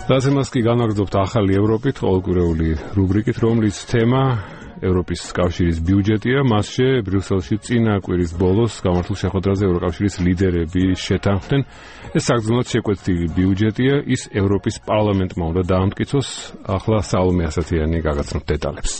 დაცემას კი განაგრძობთ ახალი ევროპით, ყოველკვირეული რუბრიკით, რომლის თემა ევროპის კავშირის ბიუჯეტია. მასში ბრიუსელში წინა კვირის ბოლოს გამართულ შეხვედრაზე ევროკავშირის ლიდერები შეთანხმდნენ. ეს საგრძნოდ შეკვეცილი ბიუჯეტია, ის ევროპის პარლამენტმა უნდა დაამტკიცოს. ახლა სალომე ასათიანი გაგაცნობთ დეტალებს.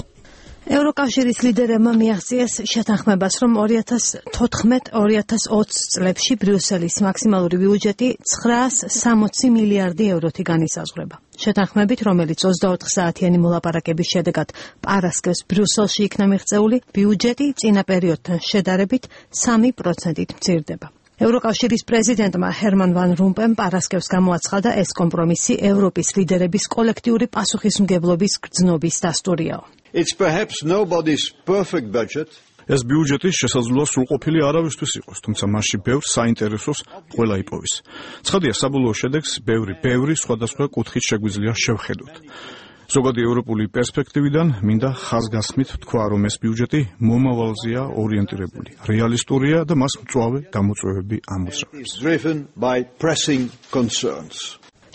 ევროკავშირის ლიდერებმა მიაღწიეს შეთანხმებას, რომ 2014-2020 წლებში ბრიუსელის მაქსიმალური ბიუჯეტი 960 მილიარდი ევროთი განისაზღვრება. შეთანხმებით, რომელიც 24 საათიანი მოლაპარაკების შედეგად პარასკევს ბრიუსელში იქნა მიღწეული, ბიუჯეტი წინა პერიოდთან შედარებით 3%-ით მცირდება. ევროკავშირის პრეზიდენტმა ჰერმან ვან რომპემ პარასკევს გამოაცხადა, ეს კომპრომისი ევროპის ლიდერების კოლექტიური პასუხისმგებლობის გრძნობის დასტურიაო. It's perhaps nobody's perfect budget. ეს ბიუჯეტი შესაძლოა სრულყოფილი არავისთვის იყოს, თუმცა მასში ბევრ საინტერესოს ყველა იპოვის. ცხადია, საბოლოო შედეგს ბევრი სხვადასხვა კუთხით შეგვიძლია შევხედოთ. ზოგადი ევროპული პერსპექტივიდან მინდა ხაზგასმით თქვა, რომ ეს ბიუჯეტი მომავალზეა ორიენტირებული, რეალისტურია და მას მწვავე გამოწვევები ამოძრავებს.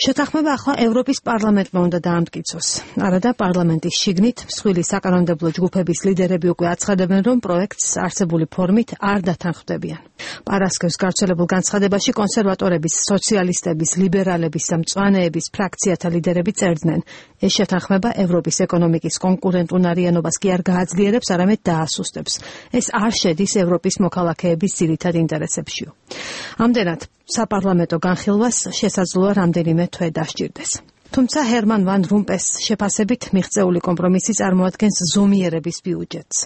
შეთანხმება ახლა ევროპის პარლამენტმა უნდა დაამტკიცოს. არადა პარლამენტის შიგნით მსხვილი საკანონმდებლო ჯგუფების ლიდერები უკვე აცხადებენ, რომ პროექტს არსებული ფორმით არ დათანხმდებიან. პარასკევს გავრცელებულ განცხადებაში კონსერვატორების, სოციალისტების, ლიბერალების და მწვანეების ფრაქციათა ლიდერები წერდნენ, ეს შეთანხმება ევროპის ეკონომიკის კონკურენტუნარიანობას კი არ გააძლიერებს, არამედ დაასუსტებს. ეს არ შედის ევროპის მოქალაქეების ძირითად ინტერესებშიო. ამდენად საპარლამენტო განხილვას შესაძლოა რამდენიმე თვე დასჭირდეს. თუმცა ჰერმან ვან რომპეს შეფასებით მიღწეული კომპრომისი წარმოადგენს ზომიერების ბიუჯეტს.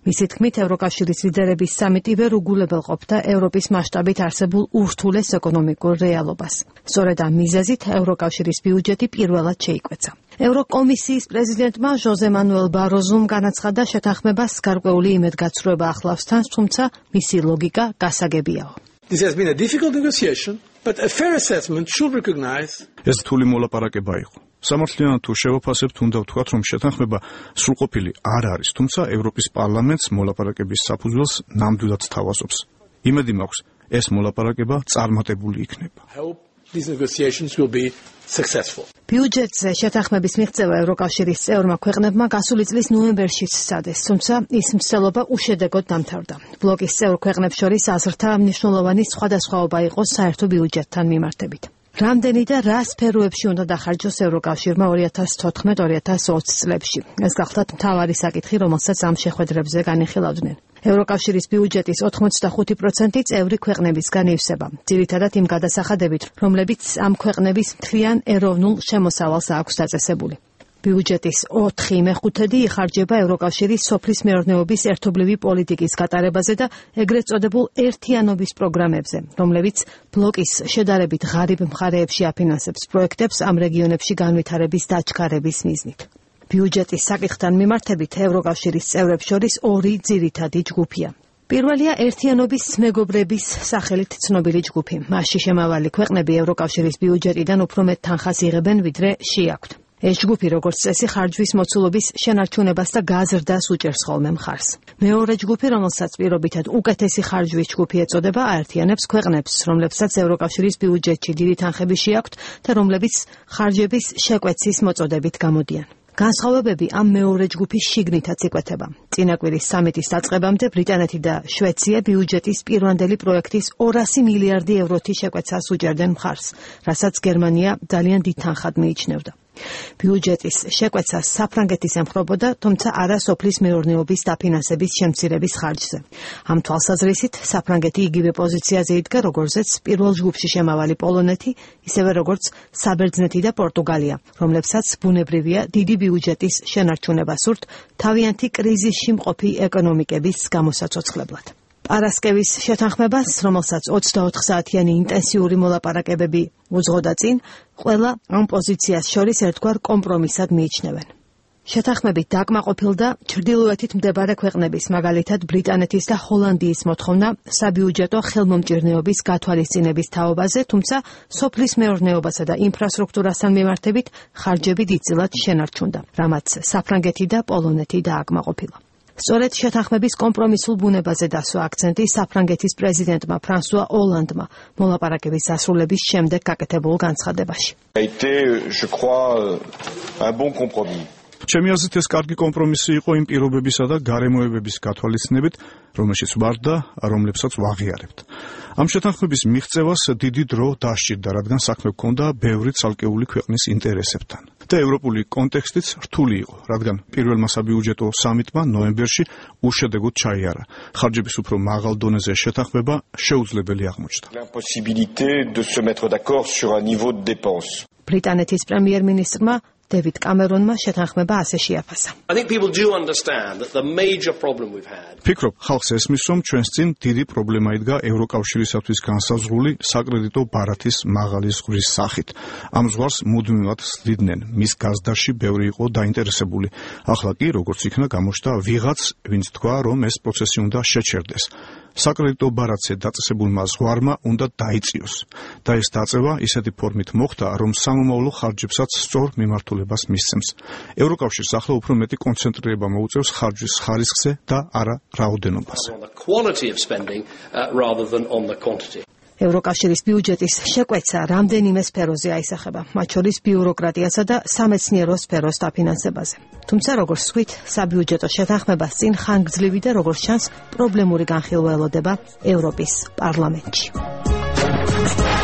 მისი თქმით, ევროკავშირის ლიდერების სამიტი ვერ უგულებელყოფდა ევროპის მასშტაბით არსებულ ურთულეს ეკონომიკურ რეალობას. სწორედ ამ მიზეზით ევროკავშირის ბიუჯეტი პირველად შეიკვეცა. ევროკომისიის პრეზიდენტმა ჟოზე მანუელ ბაროზუმ განაცხადა, შეთანხმებას გარკვეული იმედგაცრუება ახლავს თან, თუმცა მისი ლოგიკა გასაგებიაო. This has been a difficult negotiation, but a fair assessment should recognize. ეს რთული მოლაპარაკება იყო. სამართლიანად თუ შევაფასებთ, უნდა ვთქვათ, რომ შეთანხმება სრულყოფილი არ არის, თუმცა ევროპის პარლამენტს მოლაპარაკების საფუძველს ნამდვილად სთავაზობს. იმედი მაქვს, ეს მოლაპარაკება წარმატებული იქნება. These negotiations will be successful. ბიუჯეტზე შეთანხმების მიღწევა ევროკავშირის წევრმა ქვეყნებმა გასული წლის ნოემბერში სცადეს, თუმცა ის მცდელობა უშედეგოდ დამთავრდა. ბლოკის წევრ ქვეყნებს შორის აზრთა მნიშვნელოვანი სხვადასხვაობა იყო საერთო ბიუჯეტთან მიმართებით. რამდენი და რა სფეროებში უნდა დახარჯოს ევროკავშირმა 2014-2020 წლებში? ეს გახლდათ მთავარი საკითხი, რომელსაც ამ შეხვედრებზე განიხილავდნენ. ევროკავშირის ბიუჯეტის 85% წევრი ქვეყნებისგან ივსება, ძირითადად იმ გადასახადებით, რომლებიც ამ ქვეყნების მთლიან ეროვნულ შემოსავალს აქვს დაწესებული. ბიუჯეტის 4/5 იხარჯება ევროკავშირის სოფლის მეურნეობის ერთობლივი პოლიტიკის გატარებაზე და ეგრეთ წოდებულ ერთიანობის პროგრამებზე, რომლებიც ბლოკის შედარებით ღარიბ მხარეებში აფინანსებს პროექტებს ამ რეგიონებში განვითარების დაჩქარების მიზნით. ბიუჯეტის საკითხთან მიმართებით ევროკავშირის წევრებს შორის ორი ძირითადი ჯგუფია. პირველია ერთიანობის მეგობრების სახელით ცნობილი ჯგუფი. მასში შემავალი ქვეყნები ევროკავშირის ბიუჯეტიდან უფრო მეტ თანხას იღებენ, ვიდრე შეაქვთ. ეს ჯგუფი, როგორც წესი, ხარჯვის მოცულობის შენარჩუნებას და გაზრდას უჭერს ხოლმე მხარს. მეორე ჯგუფი, რომელსაც პირობითად უკეთესი ხარჯვის ჯგუფი ეწოდება, აერთიანებს ქვეყნებს, რომლებსაც ევროკავშირის ბიუჯეტში დიდი თანხები შეაქვთ და რომლებიც ხარჯების შეკვეცის მოწოდებით გამოდიან. განსხვავებები ამ მეორე ჯგუფის შიგნითაც იკვეთება. წინა კვირის სამიტის დაწყებამდე ბრიტანეთი და შვეიცია ბიუჯეტის პირვანდელი პროექტის 200 მილიარდი ევროთი შეკვეცას უჭერდნენ მხარს, რასაც გერმანია ძალიან დიდ თანხად მიიჩნევდა. ბიუჯეტის შეკვეცას საფრანგეთის ემხრობოდა, თუმცა არა სოფლის მეურნეობის დაფინანსების შემცირების ხარჯზე. ამ თვალსაზრისით საფრანგეთი იგივე პოზიციაზე იდგა, როგორზეც პირველ ჯგუფში შემავალი პოლონეთი, ისევე როგორც საბერძნეთი და პორტუგალია, რომლებსაც ბუნებრივია დიდი ბიუჯეტის შენარჩუნება სურთ თავიანთი კრიზისში მყოფი ეკონომიკების გამოსაცოცხლებლად. პარასკევის შეთანხმებას, რომელსაც 24 საათიანი ინტენსიური მოლაპარაკებები უძღოდა წინ, ყველა ამ პოზიციას შორის ერთგვარ კომპრომისად მიიჩნევენ. შეთანხმებით დაკმაყოფილდა ჩრდილოეთით მდებარე ქვეყნების, მაგალითად ბრიტანეთის და ჰოლანდიის მოთხოვნა საბიუჯეტო ხელმომჭირნეობის გათვალისწინების თაობაზე, თუმცა სოფლის მეურნეობასა და ინფრასტრუქტურასთან მიმართებით ხარჯები დიდწილად შენარჩუნდა, რამაც საფრანგეთი და პოლონეთი დააკმაყოფილა. სწორედ შეთანხმების კომპრომისულ ბუნებაზე დასვა აქცენტი საფრანგეთის პრეზიდენტმა ფრანსუა ოლანდმა მოლაპარაკების დასრულების შემდეგ გაკეთებულ განცხადებაში. ჩემი აზრით ეს კარგი კომპრომისი იყო იმ პირობებისა და გარემოებების გათვალისწინებით, რომელშიც ვარ და რომლებსაც ვაღიარებთ. ამ შეთანხმების მიღწევას დიდი დრო დასჭირდა, რადგან საქმე ჰქონდა ბევრი ცალკეული ქვეყნის ინტერესებთან. და ევროპული კონტექსტიც რთული იყო, რადგან პირველმა საბიუჯეტო სამიტმა ნოემბერში უშედეგოდ ჩაიარა. ხარჯების უფრო მაღალ დონეზე შეთანხმება შეუძლებელი აღმოჩნდა. ბრიტანეთის პრემიერ-მინისტრმა დევიდ კამერონმა შეთანხმება ასე შეაფასა. ფიქრობ, ხალხს ესმის, რომ ჩვენს წინ დიდი პრობლემა იდგა ევროკავშირისათვის განსაზღვრული საკრედიტო ბარათის მაღალი ზღვრის სახით. ამ ზღვარს მუდმივად სდიდნენ, მის გაზდაში ბევრი იყო დაინტერესებული. ახლა კი, როგორც იქნა, გამოჩნდა ვიღაც, ვინც თქვა, რომ ეს პროცესი უნდა შეჩერდეს. საკრედიტო ბარათზე დაწესებულმა ზღვარმა უნდა დაიწიოს და ეს დაწევა ისეთი ფორმით მოხდა, რომ სამომავლო ხარჯებსაც სწორ მიმართულებას მისცემს. ევროკავშირს ახლა უფრო მეტი კონცენტრირება მოუწევს ხარჯის ხარისხზე და არა რაოდენობაზე. ევროკავშირის ბიუჯეტის შეკვეცა რამდენიმე სფეროზე აისახება, მათ შორის ბიუროკრატიასა და სამეცნიერო სფეროს დაფინანსებაზე. თუმცა როგორც ვთქვით, საბიუჯეტო შეთანხმებას წინ ხანგრძლივი და როგორც ჩანს, პრობლემური განხილვა ელოდება ევროპის პარლამენტში.